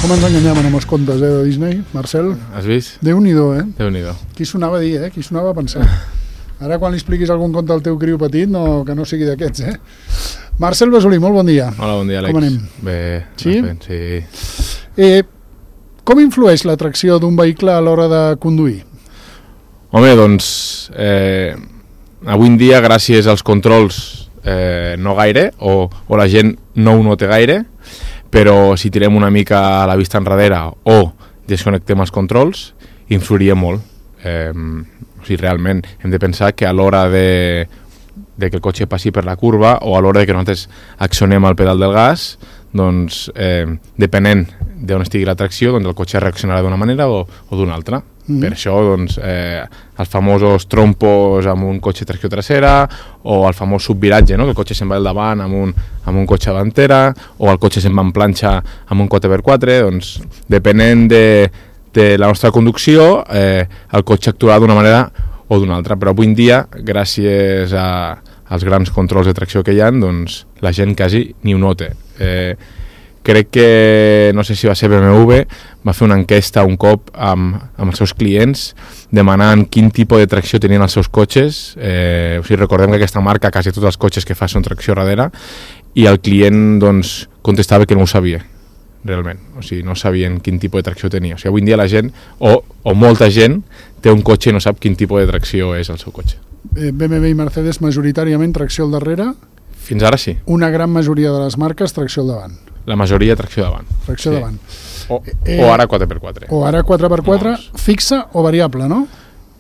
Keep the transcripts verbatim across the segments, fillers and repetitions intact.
Com ens enganyaven amb els contes, eh, de Disney, Marcel? Has vist? Déu-n'hi-do, eh? Déu-n'hi-do. Qui sonava a dir, eh? Qui sonava a pensar. Ara quan li expliquis algun conte al teu criu petit, no, que no sigui d'aquests, eh? Marcel Besolí, molt bon dia. Hola, bon dia, Àlex. Com anem? Bé, sí? Fent, sí. Eh, com influeix la tracció d'un vehicle a l'hora de conduir? Home, doncs, eh, avui en dia, gràcies als controls, eh, no gaire, o, o la gent no ho nota gaire, però si tirem una mica a la vista enrere o desconnectem els controls, influiria molt. Eh, o sigui, realment hem de pensar que a l'hora de, de que el cotxe passi per la curva o a l'hora de que nosaltres accionem el pedal del gas, doncs, eh, depenent d'on estigui la tracció, doncs el cotxe reaccionarà d'una manera o, o d'una altra. Mm-hmm. Per això, doncs, eh, els famosos trompos amb un cotxe tracció trasera o el famós subviratge, no? Que el cotxe se'n va al davant amb un, amb un cotxe davantera o el cotxe se'n va en planxa amb un quatre per quatre, doncs, depenent de, de la nostra conducció, eh, el cotxe actuarà d'una manera o d'una altra. Però avui en dia, gràcies a, als grans controls de tracció que hi ha, doncs, la gent quasi ni ho nota. Eh, crec que, no sé si va ser B M W, va fer una enquesta un cop amb, amb els seus clients demanant quin tipus de tracció tenien els seus cotxes. Eh, o sigui, recordem que aquesta marca, quasi tots els cotxes que fa són tracció darrere, i el client, doncs, contestava que no ho sabia, realment. O sigui, no sabien quin tipus de tracció tenia. O sigui, avui en dia la gent, o, o molta gent, té un cotxe i no sap quin tipus de tracció és el seu cotxe. B M W i Mercedes majoritàriament tracció al darrere. Fins ara sí. Una gran majoria de les marques tracció al davant. La majoria tracció davant. Tracció sí. davant. O, eh, o ara quatre per quatre. O ara quatre per quatre, no. Fixa o variable, no?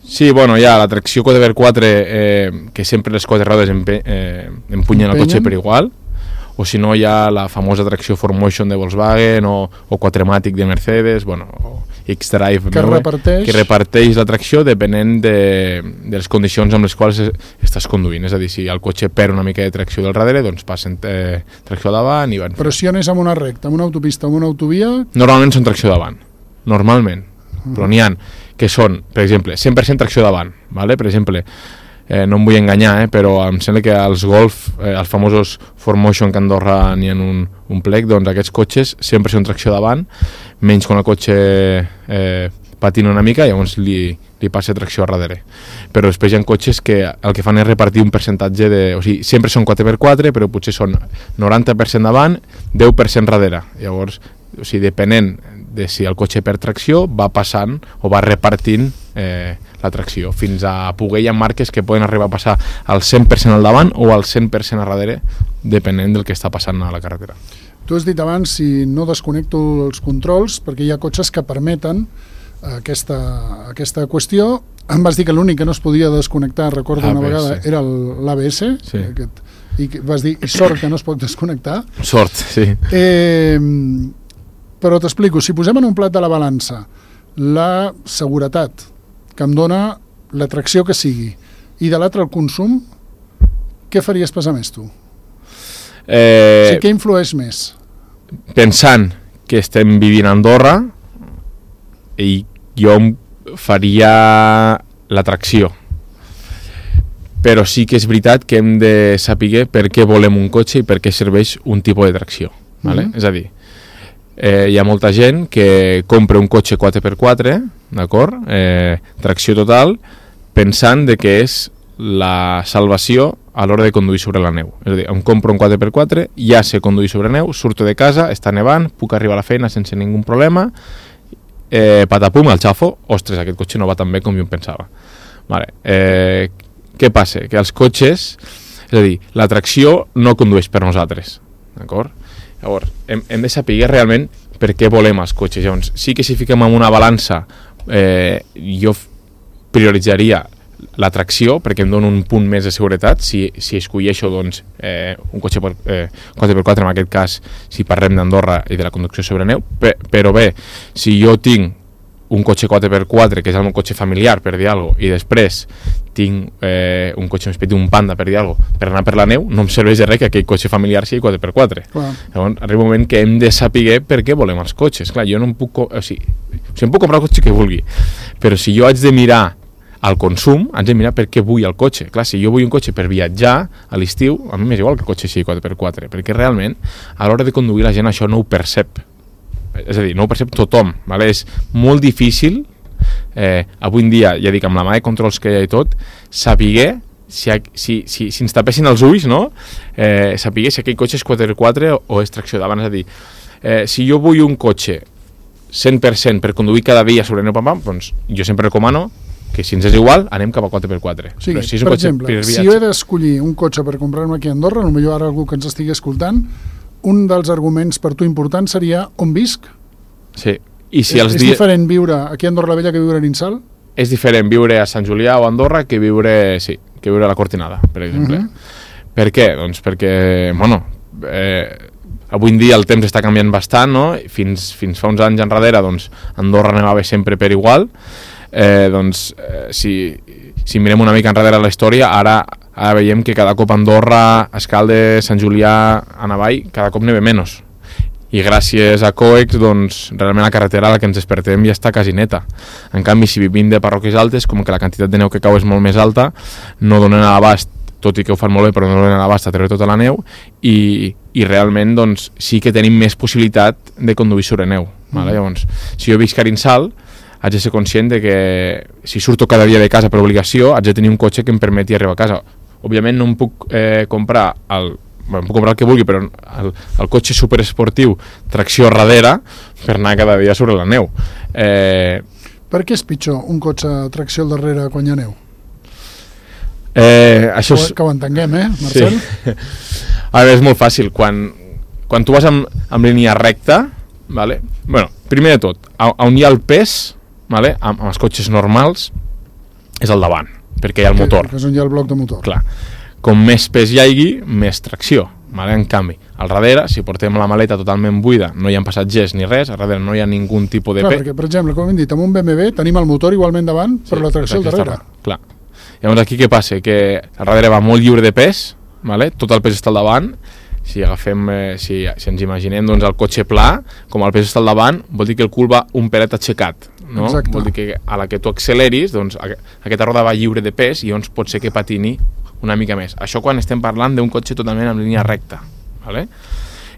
Sí, bueno, hi ha la tracció quatre per quatre, eh, que sempre les quatre rodes empe eh, empunyen el cotxe per igual, o si no hi ha la famosa tracció four motion de Volkswagen o, o quatrematic de Mercedes, bueno, o X-Drive que, reparteix... que reparteix la tracció depenent de, de les condicions amb les quals estàs conduint. És a dir, si el cotxe perd una mica de tracció del darrere, doncs passen eh, tracció davant i van. Però si anés amb una recta, amb una autopista, amb una autovia... Normalment són tracció davant, normalment. Uh-huh. Però n'hi ha que són, per exemple, cent per cent tracció davant, ¿vale? Per exemple, eh, no em vull enganyar, eh, però em sembla que els Golf, eh, els famosos four motion que a Andorra n'hi ha un, un plec, doncs aquests cotxes sempre són tracció davant, menys quan el cotxe eh, patina una mica, llavors li, li passa tracció a darrere. Però després hi ha cotxes que el que fan és repartir un percentatge de... O sigui, sempre són quatre per quatre, però potser són noranta per cent davant, deu per cent darrere. Llavors, o sigui, depenent de si el cotxe perd tracció, va passant o va repartint eh, la tracció, fins a poder hi ha marques que poden arribar a passar al cent per cent al davant o al cent per cent a darrere, depenent del que està passant a la carretera. Tu has dit abans, si no desconnecto els controls, perquè hi ha cotxes que permeten aquesta, aquesta qüestió. Em vas dir que l'únic que no es podia desconnectar, recordo A B S. Una vegada, era l'A B S, sí. Aquest, i vas dir, i sort que no es pot desconnectar. Sort, sí. Eh, però t'explico, si posem en un plat de la balança la seguretat que em dona la tracció que sigui i de l'altre el consum, què faries pesar més tu? Eh, o sigui, què influeix més? Pensant que estem vivint a Andorra, i jo faria la tracció. Però sí que és veritat que hem de saber per què volem un cotxe i per què serveix un tipus de tracció. ¿Vale? Mm-hmm. És a dir, eh, hi ha molta gent que compra un cotxe quatre per quatre, d'acord? Eh, tracció total, pensant de que és la salvació a l'hora de conduir sobre la neu. És a dir, em compro un quatre per quatre, ja sé conduir sobre neu, surto de casa, està nevant, puc arribar a la feina sense ningú problema, eh, patapum, al xafo, ostres, aquest cotxe no va tan bé com jo em pensava. Vale. Eh, què passa? Que els cotxes, és a dir, la tracció no condueix per nosaltres, d'acord? Llavors, hem, hem de saber realment per què volem els cotxes. Llavors, sí que si fiquem en una balança, eh, jo prioritzaria la tracció, perquè em dona un punt més de seguretat, si, si escolleixo doncs, eh, un cotxe per, eh, quatre per quatre, en aquest cas, si parlem d'Andorra i de la conducció sobre neu, Pe però bé, si jo tinc un cotxe quatre per quatre, que és el meu cotxe familiar, per dir alguna cosa, i després tinc eh, un cotxe més petit, un Panda, per dir alguna cosa, per anar per la neu, no em serveix de res que aquell cotxe familiar sigui quatre per quatre. Clar. Llavors, arriba un moment que hem de saber per què volem els cotxes. Clar, jo no em puc... O sigui, o sigui, em puc comprar el cotxe que vulgui, però si jo haig de mirar al consum, haig de mirar per què vull el cotxe. Clar, si jo vull un cotxe per viatjar a l'estiu, a mi m'és igual que el cotxe sigui quatre per quatre, perquè realment, a l'hora de conduir, la gent això no ho percep. és a dir, no ho percep tothom, vale? És molt difícil, eh, avui en dia, ja dic, amb la mà de controls que hi ha i tot, saber si, si, si, si ens tapessin els ulls, no? Eh, saber si aquell cotxe és quatre per quatre o, o és tracció davant, és a dir, eh, si jo vull un cotxe cent per cent per conduir cada dia sobre neu pam pam, doncs jo sempre recomano que si ens és igual, anem cap a quatre per quatre. Sí, si és un per exemple, per si jo he d'escollir un cotxe per comprar-me aquí a Andorra, potser ara algú que ens estigui escoltant, un dels arguments per tu important seria on visc? Sí. I si és els és dia... diferent viure aquí a Andorra la Vella que viure a Ninsal? És diferent viure a Sant Julià o a Andorra que viure, sí, que viure a la Cortinada, per exemple. Uh -huh. Per què? Doncs perquè, bueno, eh, avui en dia el temps està canviant bastant, no? Fins, fins fa uns anys enrere, doncs, Andorra anava sempre per igual. Eh, doncs, eh, si, si mirem una mica enrere la història, ara, ara veiem que cada cop Andorra, Escaldes, Sant Julià, a Navall, cada cop neve menys. I gràcies a Coex, doncs, realment la carretera a la que ens despertem ja està quasi neta. En canvi, si vivim de parròquies altes, com que la quantitat de neu que cau és molt més alta, no donen a l'abast, tot i que ho fan molt bé, però no donen a l'abast a treure tota la neu, i, i realment doncs, sí que tenim més possibilitat de conduir sobre neu. Mm. Vale? Llavors, si jo visc a Ninsal, haig de ser conscient de que si surto cada dia de casa per obligació, haig de tenir un cotxe que em permeti arribar a casa. Òbviament no em puc eh, comprar el, bueno, em puc comprar el que vulgui, però el, el cotxe superesportiu, tracció darrere, per anar cada dia sobre la neu. Eh, per què és pitjor un cotxe tracció al darrere quan hi ha neu? Eh, això és... Que ho entenguem, eh, Marcel? Sí. A veure, és molt fàcil. Quan, quan tu vas amb, amb línia recta, vale? Bueno, primer de tot, on hi ha el pes, vale? amb, amb els cotxes normals, és al davant, perquè hi ha el motor. Que és on hi ha el bloc de motor. Clar. Com més pes hi hagi, més tracció. Vale? En canvi, al darrere, si portem la maleta totalment buida, no hi ha passatgers ni res, al darrere no hi ha ningun tipus de Clar, pes. perquè, per exemple, com hem dit, amb un B M W tenim el motor igualment davant, però sí, la tracció al darrere. Clar. Llavors aquí què passa? Que al darrere va molt lliure de pes, vale? Tot el pes està al davant. Si agafem, eh, si, si ens imaginem doncs, el cotxe pla, com el pes està al davant, vol dir que el cul va un pelet aixecat. No? Exacte. Vol dir que a la que tu acceleris, doncs, aquesta roda va lliure de pes i llavors pot ser que patini una mica més. Això quan estem parlant d'un cotxe totalment en línia recta. Vale?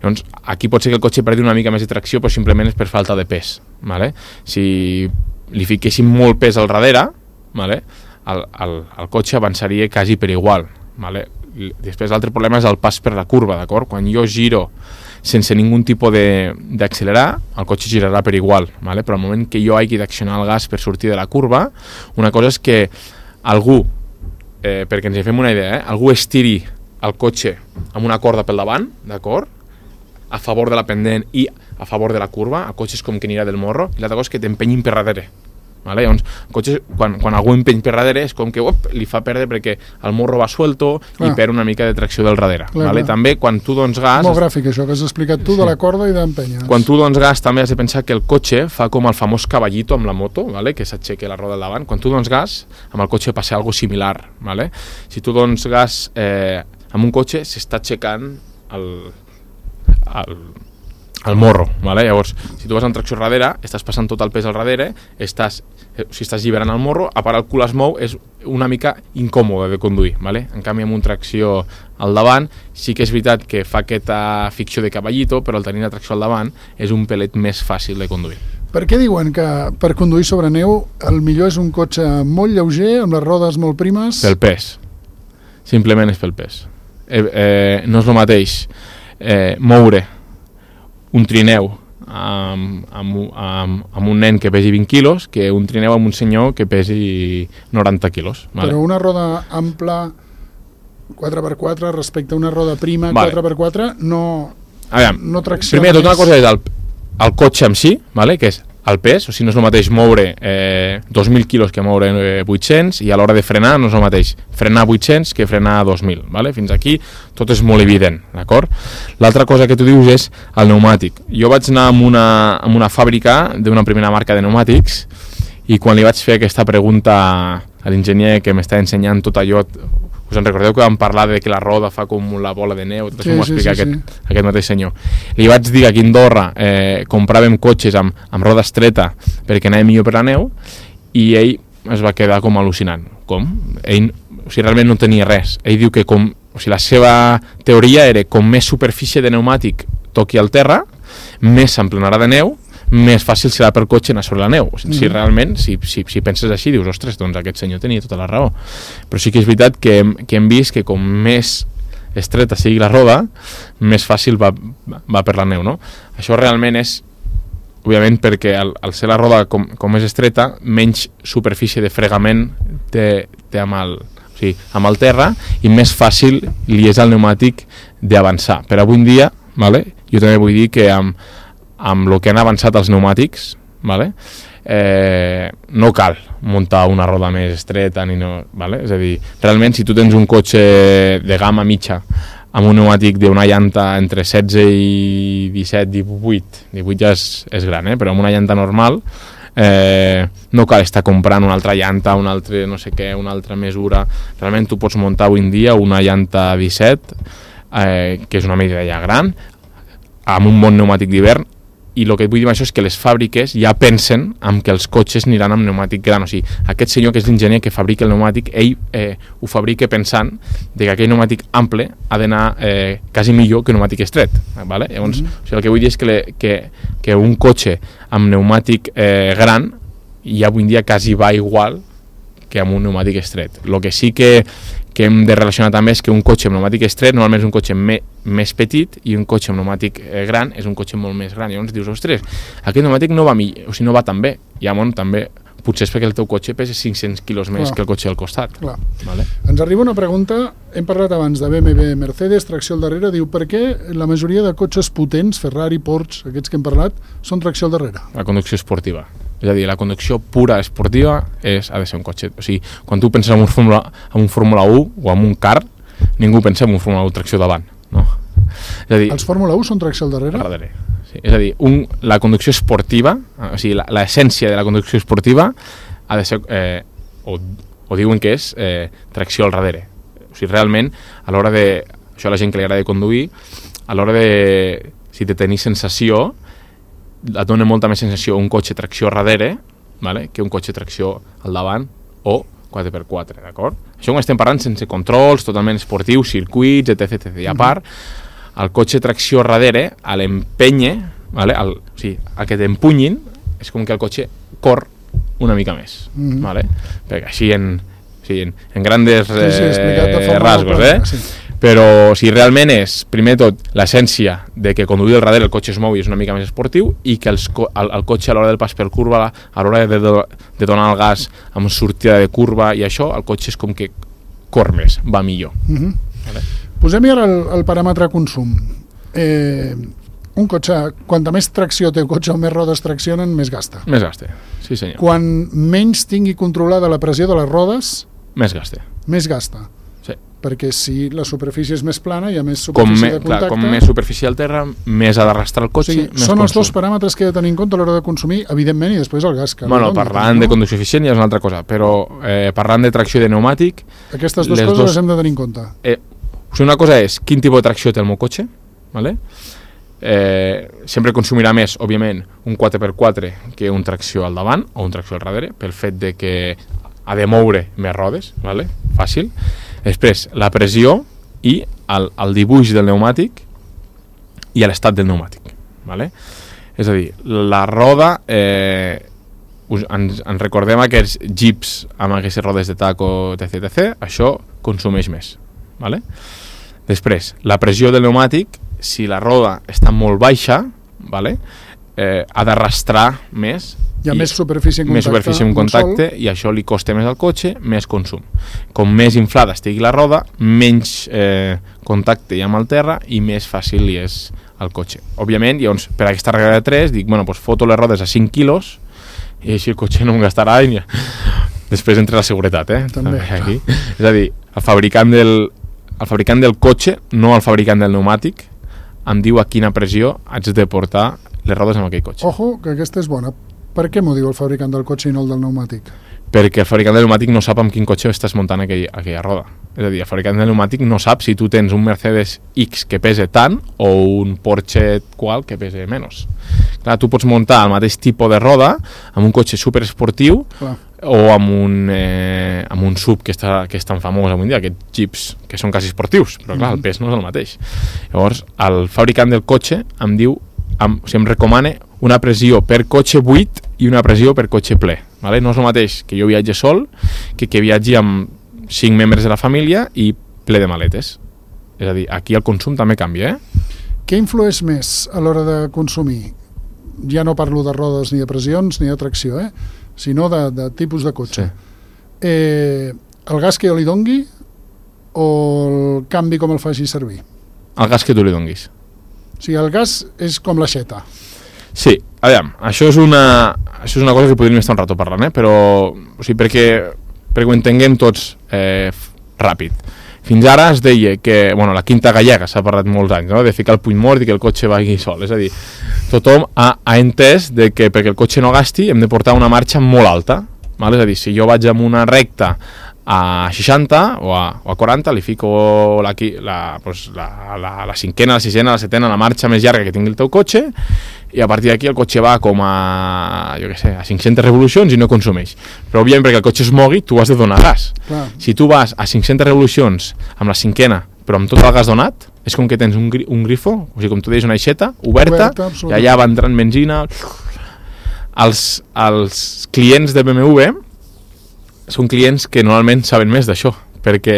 Llavors, aquí pot ser que el cotxe perdi una mica més de tracció, però simplement és per falta de pes. Vale? Si li fiquéssim molt pes al darrere, vale? el, el, el cotxe avançaria quasi per igual. Vale? Després l'altre problema és el pas per la curva, d'acord? Quan jo giro sense ningun tipus d'accelerar, el cotxe girarà per igual, vale? Però al moment que jo hagi d'accionar el gas per sortir de la curva, una cosa és que algú, eh, perquè ens en fem una idea, eh? algú estiri el cotxe amb una corda pel davant, d'acord? A favor de la pendent i a favor de la curva, el cotxe és com que anirà del morro, i l'altra cosa és que t'empenyin per darrere. Vale? Llavors, el cotxe, quan, quan algú empeny per darrere és com que op, li fa perdre perquè el morro va suelto clar. I perd una mica de tracció del darrere. Clar, vale? Clar. També quan tu dones gas... Molt gràfic això que has explicat tu, sí. De la corda i d'empenyes. Quan tu dones gas també has de pensar que el cotxe fa com el famós caballito amb la moto, vale? Que s'aixeca la roda al davant. Quan tu dones gas, amb el cotxe passa algo similar. Vale? Si tu dones gas eh, amb un cotxe, s'està aixecant el... el el morro, vale? Llavors, si tu vas en tracció darrere, estàs passant tot el pes al darrere, estàs, si estàs lliberant el morro, a part el cul es mou, és una mica incòmode de conduir, vale? En canvi amb una tracció al davant, sí que és veritat que fa aquesta ficció de caballito, però el tenir la tracció al davant és un pelet més fàcil de conduir. Per què diuen que per conduir sobre neu el millor és un cotxe molt lleuger, amb les rodes molt primes? Pel pes, simplement és pel pes. Eh, eh, no és el mateix eh, moure un trineu amb, amb, amb, amb un nen que pesi vint quilos que un trineu amb un senyor que pesi noranta quilos. Vale? Però una roda ampla quatre per quatre respecte a una roda prima vale. quatre per quatre no, veure, no tracciona primer tot una cosa és el, el cotxe en si, vale? Que és el pes, o sigui, no és el mateix moure eh, dos mil quilos que moure eh, vuit-cents i a l'hora de frenar no és el mateix frenar vuit-cents que frenar dos mil, vale? Fins aquí tot és molt evident, d'acord? L'altra cosa que tu dius és el pneumàtic. Jo vaig anar amb una, amb una fàbrica d'una primera marca de pneumàtics i quan li vaig fer aquesta pregunta a l'enginyer que m'estava ensenyant tot allò, us en recordeu que vam parlar de que la roda fa com la bola de neu, tot sí, això m'ho va explicar sí, sí, aquest, sí. aquest mateix senyor. Li vaig dir que aquí a Andorra eh, compràvem cotxes amb, amb roda estreta perquè anàvem millor per la neu i ell es va quedar com al·lucinant. Com? Ell, o sigui, realment no tenia res. Ell diu que com, o sigui, la seva teoria era com més superfície de pneumàtic toqui al terra, més s'emplenarà de neu més fàcil serà per cotxe anar sobre la neu. Si mm-hmm. realment, si, si, si penses així, dius, ostres, doncs aquest senyor tenia tota la raó. Però sí que és veritat que hem, que hem vist que com més estreta sigui la roda, més fàcil va, va per la neu, no? Això realment és, òbviament, perquè al, al ser la roda com, com és estreta, menys superfície de fregament té, té amb el... Sí, amb el terra, i més fàcil li és al pneumàtic d'avançar. Per avui en dia, vale, jo també vull dir que amb, amb el que han avançat els pneumàtics, vale, eh, no cal muntar una roda més estreta, ni no, vale? És a dir, realment, si tu tens un cotxe de gamma mitja amb un pneumàtic d'una llanta entre setze i disset, divuit, divuit ja és, és gran, eh? Però amb una llanta normal, Eh, no cal estar comprant una altra llanta, una altra no sé què, una altra mesura. Realment tu pots muntar avui en dia una llanta disset, eh, que és una medida ja gran, amb un bon pneumàtic d'hivern. I el que et vull dir amb això és que les fàbriques ja pensen en que els cotxes aniran amb pneumàtic gran. O sigui, aquest senyor que és l'enginyer que fabrica el pneumàtic, ell eh, ho fabrica pensant de que aquell pneumàtic ample ha d'anar eh, quasi millor que un pneumàtic estret, ¿vale? Llavors, mm-hmm. o sigui, el que vull dir és que, le, que, que un cotxe amb pneumàtic eh, gran ja avui en dia quasi va igual que amb un pneumàtic estret. El que sí que, que hem de relacionar també és que un cotxe amb pneumàtic estret normalment és un cotxe me, més petit, i un cotxe amb pneumàtic eh, gran és un cotxe molt més gran. I llavors dius, ostres, aquest pneumàtic no va, millor, o sigui, no va tan bé. I llavors també potser és perquè el teu cotxe pesa cinc-cents quilos més Clar. que el cotxe al costat. Vale? Ens arriba una pregunta, hem parlat abans de B M W, Mercedes, tracció al darrere, diu, per què la majoria de cotxes potents, Ferrari, Porsche, aquests que hem parlat, són tracció al darrere? La conducció esportiva. És a dir, la conducció pura esportiva és, ha de ser un cotxe. O sigui, quan tu penses en un Fórmula, en un Fórmula u o en un car, ningú pensa en un Fórmula u tracció davant, no? És a dir, els Fórmula u són tracció al darrere? Al darrere, sí. És a dir, un, la conducció esportiva, o sigui, l'essència de la conducció esportiva ha de ser, eh, o, o diuen que és eh, tracció al darrere. O sigui, realment, a l'hora de, això a la gent que li agrada conduir, a l'hora de, si de tenir sensació, et dona molta més sensació un cotxe tracció a darrere, vale, que un cotxe tracció al davant o quatre per quatre, d'acord? Això ho estem parlant sense controls, totalment esportius, circuits, etc etcètera. I a part, el cotxe tracció a darrere, a l'empènyer, vale, el, o sigui, el que t'empunyin, és com que el cotxe cor una mica més, mm-hmm. vale? Perquè així en, o sigui, en, en grandes eh, sí, sí, rasgos, eh? Sí. Però si realment és, primer de tot, l'essència de que conduir al darrere el cotxe es mou i és una mica més esportiu, i que els, el, el cotxe a l'hora del pas per curva, a l'hora de, de, de donar el gas amb sortida de curva i això, el cotxe és com que cor més, va millor. Mm-hmm. Vale? Posem ara el, el paràmetre consum. Eh, un cotxe, quanta més tracció té el cotxe o més rodes traccionen, més gasta. Més gasta, sí senyor. Quan menys tingui controlada la pressió de les rodes, més gasta. Més gasta. Sí. Perquè si la superfície és més plana, hi ha més com superfície me, de contacte... Clar, com més superfície al terra, més ha d'arrastrar el cotxe, o sigui, més són consum. Els dos paràmetres que he de tenir en compte a l'hora de consumir, evidentment, i després el gas. Que bueno, parlant no? de conducció eficient ja és una altra cosa, però eh, parlant de tracció de pneumàtic... Aquestes dues coses dos... les hem de tenir en compte. Eh, o sigui, una cosa és quin tipus de tracció té el meu cotxe, ¿vale? Eh, sempre consumirà més, òbviament, un quatre per quatre que un tracció al davant o un tracció al darrere, pel fet de que ha de moure més rodes, ¿vale? Fàcil. Després, la pressió i el, el dibuix del pneumàtic i l'estat del pneumàtic, ¿vale? És a dir, la roda, eh, us, ens, ens recordem aquests jeeps amb aquestes rodes de taco, etc etcètera, això consumeix més, ¿vale? Després, la pressió del pneumàtic, si la roda està molt baixa, ¿vale? eh, ha d'arrastrar més, hi ha més superfície en contacte, més superfície en contacte i això li costa més al cotxe, més consum. Com més inflada estigui la roda, menys eh, contacte hi ha amb el terra i més fàcil li és al cotxe. Òbviament, llavors, per aquesta regla de tres, dic, bueno, doncs foto les rodes a cinc quilos i així el cotxe no em gastarà i després entra la seguretat, eh? També, aquí. És a dir, el fabricant del, el fabricant del cotxe, no el fabricant del pneumàtic, em diu a quina pressió haig de portar les rodes amb aquell cotxe. Ojo, que aquesta és bona. Per què m'ho diu el fabricant del cotxe i no el del pneumàtic? Perquè el fabricant del pneumàtic no sap amb quin cotxe estàs muntant aquell, aquella roda. És a dir, el fabricant del pneumàtic no sap si tu tens un Mercedes X que pesa tant o un Porsche qual que pesa menys. Clar, tu pots muntar el mateix tipus de roda amb un cotxe superesportiu Clar. o amb un, eh, amb un sub que, està, que és tan famós avui en dia, aquests jeeps que són quasi esportius, però clar, mm-hmm. el pes no és el mateix. Llavors, el fabricant del cotxe em diu, em, o sigui, em recomana una pressió per cotxe buit i una pressió per cotxe ple. Vale? No és el mateix que jo viatge sol que que viatgi amb cinc membres de la família i ple de maletes. És a dir, aquí el consum també canvia, eh? Què influeix més a l'hora de consumir? Ja no parlo de rodes ni de pressions ni de tracció, eh? Sinó de, de tipus de cotxe. Sí. Eh, el gas que jo li dongui o el canvi com el faci servir? El gas que tu li donguis. O sigui, el gas és com l'aixeta. Sí, aviam, això és una, això és una cosa que podríem estar un rato parlant, eh? Però, o sigui, perquè, perquè ho entenguem tots eh, ràpid. Fins ara es deia que, bueno, la quinta gallega s'ha parlat molts anys, no? De ficar el puny mort i que el cotxe vagi sol. És a dir, tothom ha, ha entès de que perquè el cotxe no gasti hem de portar una marxa molt alta. Val? És a dir, si jo vaig amb una recta a seixanta o a, o a quaranta, li fico la, la, pues, la, la, la cinquena, la sisena, la setena, la marxa més llarga que tingui el teu cotxe, i a partir d'aquí el cotxe va com a, jo què sé, a cinc-centes revolucions i no consumeix. Però òbviament perquè el cotxe es mogui tu has de donar gas. Clar. Si tu vas a cinc-centes revolucions amb la cinquena però amb tot el gas donat, és com que tens un, gri un grifo, o sigui, com tu deies, una aixeta oberta, oberta i allà va entrant benzina. Els, els clients de B M W són clients que normalment saben més d'això, perquè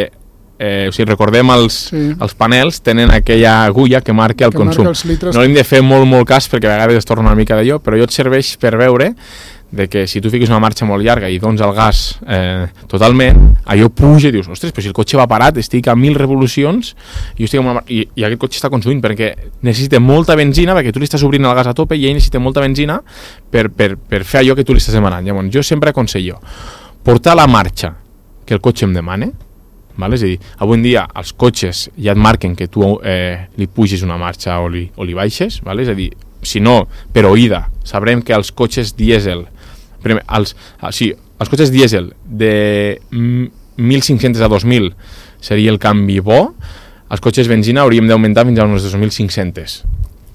eh, o sigui, recordem els, sí. els panels tenen aquella agulla que marca el que consum. Marca no hem de fer molt, molt cas perquè a vegades es torna una mica d'allò, però allò et serveix per veure de que si tu fiques una marxa molt llarga i dones el gas eh, totalment, allò puja i dius, ostres, però si el cotxe va parat, estic a mil revolucions i, estic amb una... I, i aquest cotxe està consumint perquè necessita molta benzina, perquè tu li estàs obrint el gas a tope i ell necessita molta benzina per, per, per fer allò que tu li estàs demanant. Llavors, jo sempre aconsello portar la marxa que el cotxe em demana, vale? És a dir, avui en dia els cotxes ja et marquen que tu eh, li pugis una marxa o li, o li baixes, vale? És a dir, si no, per oïda, sabrem que els cotxes dièsel, primer, els, ah, sí, els cotxes dièsel de mil cinc-cents a dos mil seria el canvi bo, els cotxes benzina hauríem d'augmentar fins a uns dos mil cinc-cents,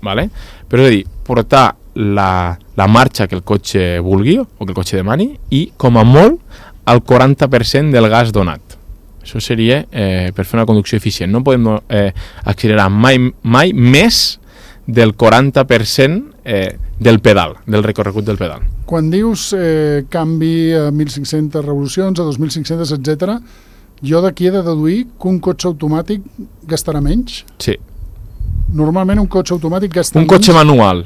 vale? Però és a dir, portar la, la marxa que el cotxe vulgui o que el cotxe demani i, com a molt, el quaranta per cent del gas donat. Això seria eh, per fer una conducció eficient. No podem eh, accelerar mai, mai més del quaranta per cent eh, del pedal, del recorregut del pedal. Quan dius eh, canvi a mil cinc-centes revolucions, a dos mil cinc-centes, etcètera, jo d'aquí he de deduir que un cotxe automàtic gastarà menys? Sí. Normalment un cotxe automàtic gasta un menys? Un cotxe manual,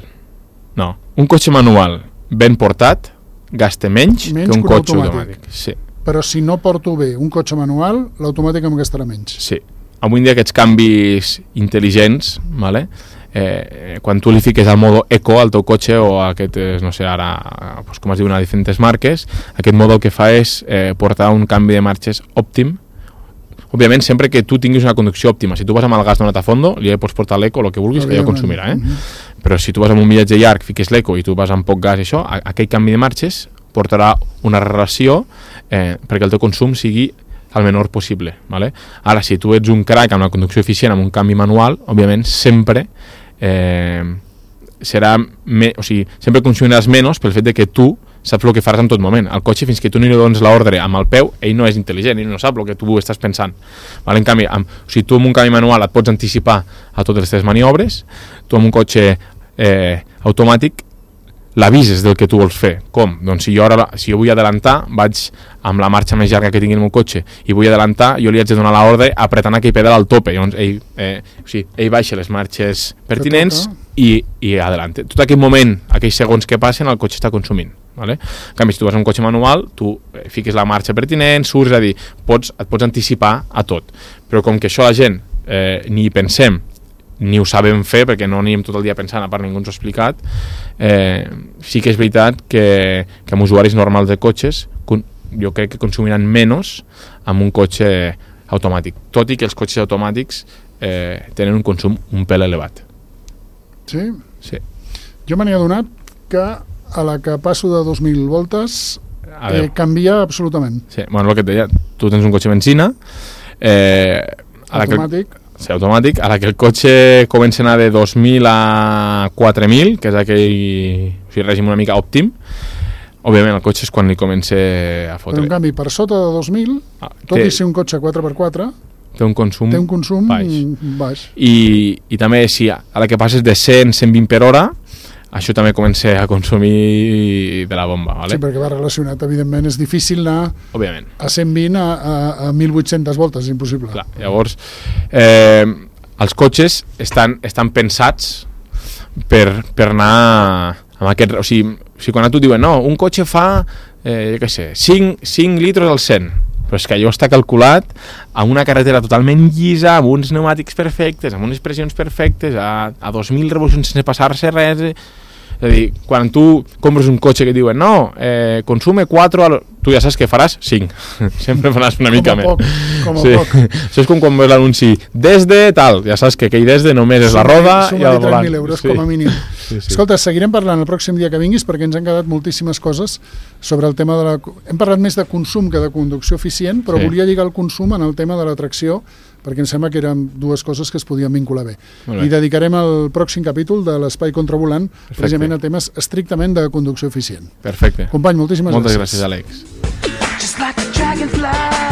no. Un cotxe manual ben portat gasta menys, menys que un, que un cotxe automàtic. automàtic. Sí. Però si no porto bé un cotxe manual, l'automàtic em gastarà menys. Sí. Avui en dia aquests canvis intel·ligents, vale? eh, quan tu li fiques al modo eco al teu cotxe o a aquest, no sé, ara, pues, com es diuen a diferents marques, aquest modo el que fa és eh, portar un canvi de marxes òptim. Òbviament, sempre que tu tinguis una conducció òptima. Si tu vas amb el gas donat a fondo, li pots portar l'eco, el que vulguis, que ja consumirà. Eh? Uh-huh. Però si tu vas amb un viatge llarg, fiques l'eco i tu vas amb poc gas i això, aquell canvi de marxes portarà una relació eh, perquè el teu consum sigui el menor possible. Vale? Ara, si tu ets un crack amb una conducció eficient, amb un canvi manual, òbviament, sempre eh, serà me, o sigui, sempre consumiràs menys pel fet de que tu saps el que faràs en tot moment. El cotxe, fins que tu no li dones l'ordre amb el peu, ell no és intel·ligent, ell no sap el que tu estàs pensant. Vale? En canvi, amb, o sigui, tu amb un canvi manual et pots anticipar a totes les teves maniobres, tu amb un cotxe eh, automàtic l'avises del que tu vols fer. Com? Doncs si jo, ara, si jo vull adelantar, vaig amb la marxa més llarga que tingui el meu cotxe i vull adelantar, jo li haig de donar l'ordre apretant aquell pedal al tope. Llavors ell, eh, o sigui, ell baixa les marxes pertinents i, i adelante. Tot aquell moment, aquells segons que passen, el cotxe està consumint. Vale? En canvi, si tu vas amb un cotxe manual, tu fiques la marxa pertinent, surts, és a dir, pots, et pots anticipar a tot. Però com que això la gent eh, ni hi pensem, ni ho sabem fer, perquè no anem tot el dia pensant, a part ningú ens ho ha explicat, eh, sí que és veritat que, que amb usuaris normals de cotxes jo crec que consumiran menys amb un cotxe automàtic, tot i que els cotxes automàtics eh, tenen un consum un pèl elevat. Sí? Sí. Jo me n'he adonat que a la que passo de dos mil voltes eh, canvia absolutament. Sí, bueno, el que et deia, tu tens un cotxe benzina eh, automàtic, que, sí, automàtic, a la que el cotxe comença a anar de dos mil a quatre mil, que és aquell, o sigui, règim una mica òptim, òbviament el cotxe és quan li comença a fotre. Però en canvi, per sota de dos mil, ah, tot té, i ser un cotxe quatre per quatre, té un consum, té un consum baix. baix. I, I també, si a la que passes de cent a cent vint per hora, això també comença a consumir de la bomba, ¿vale? Sí, perquè va relacionat, evidentment, és difícil anar Òbviament. a cent vint a, a, a mil vuit-centes voltes, és impossible. Clar, llavors, eh, els cotxes estan, estan pensats per, per anar amb aquest... O sigui, o sigui, quan a tu diuen, no, un cotxe fa, eh, jo què sé, cinc litres al cent, però és que allò està calculat a una carretera totalment llisa, amb uns pneumàtics perfectes, amb unes pressions perfectes, a, a dos mil revolucions sense passar-se res... És a dir, quan tu compres un cotxe que diuen no, eh, consume quatre, al... tu ja saps que faràs cinc. Sempre faràs una mica més. Poc, com a sí. poc. Això és com quan veus l'anunci des de tal, ja saps que aquell des de només és la roda i el volant. mil euros sí. com a mínim. Sí, sí. Escolta, seguirem parlant el pròxim dia que vinguis perquè ens han quedat moltíssimes coses sobre el tema de la... Hem parlat més de consum que de conducció eficient, però sí. volia lligar el consum en el tema de la tracció perquè em sembla que eren dues coses que es podien vincular bé. bé. I dedicarem el pròxim capítol de l'Espai Contravolant Perfecte. precisament a temes estrictament de conducció eficient. Perfecte. Company, moltíssimes Moltes gràcies. Moltes gràcies, Àlex. Just like a dragonfly